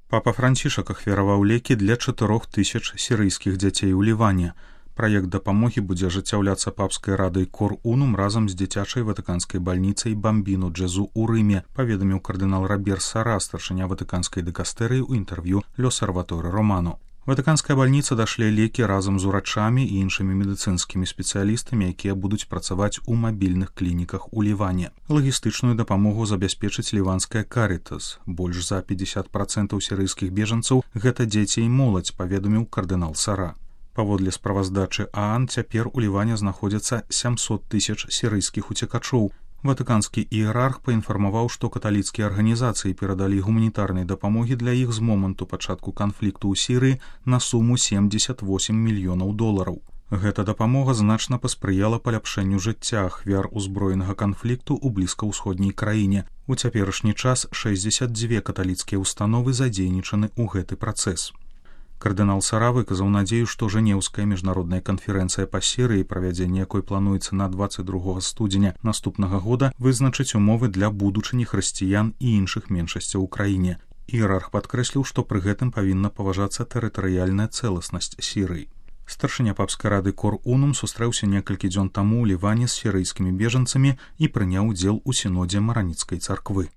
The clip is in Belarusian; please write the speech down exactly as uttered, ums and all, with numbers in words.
Папа Францішак ахвяраваў лекі для чатырох тысяч сірыйскіх дзяцей у Ліване. Праект дапамогі будзе ажыццяўляцца папскай радай Кор Унум разам з дзіцячай ватыканскай бальніцай Бамбіну Джезу ў Рыме, паведаміў кардынал Робер Сара, старшыня ватыканскай дыкастэрыі ў інтэрв'ю L'Osservatore Romano. Ватыканская бальніца дашле лекі разам з урачамі і іншымі медыцынскімі спецыялістамі, якія будуць працаваць у мабільных клініках у Ліване. Лагістычную дапамогу забяспечыць ліванская Карітас. Больш за пятьдесят процентаў сірыйскіх бежанцаў гэта дзеці і моладзь, паведаміў кардынал Сара. Паводле справаздачы ААН цяпер у Ліване знаходзяцца сямсот тысяч сірыйскіх уцекачоў. Ватыканскі іерарх паінфармаваў, што каталіцкія арганізацыі перадалі гуманітарнай дапамогі для іх з моманту пачатку канфлікту ў Сірыі на суму семьдесят восемь мільёнаў долараў. Гэта дапамога значна паспрыяла паляпшэнню жыцця ахвяр узброенага канфлікту ў блізкаўсходняй краіне. У цяперашні час шэсцьдзесят дзве каталіцкія ўстановы задзейнічаны ў гэты працэс. Кардынал Сара выказаў надзею, што Жэнеўская міжнародная канферэнцыя па Сірыі, правядзенне якой плануецца на дваццаць другога студзеня наступнага года, вызначыць умовы для будучыні хрысціян і іншых меншасцяў у краіне. Іерарх падкрэсліў, што пры гэтым павінна паважацца тэрытарыяльная цэласнасць Сірыі. Старшыня папскай рады Кор Унум сустрэўся некалькі дзён таму ў Ліване з сірыйскімі бежанцамі і прыняў удзел у сінодзе Мараніцкай царквы.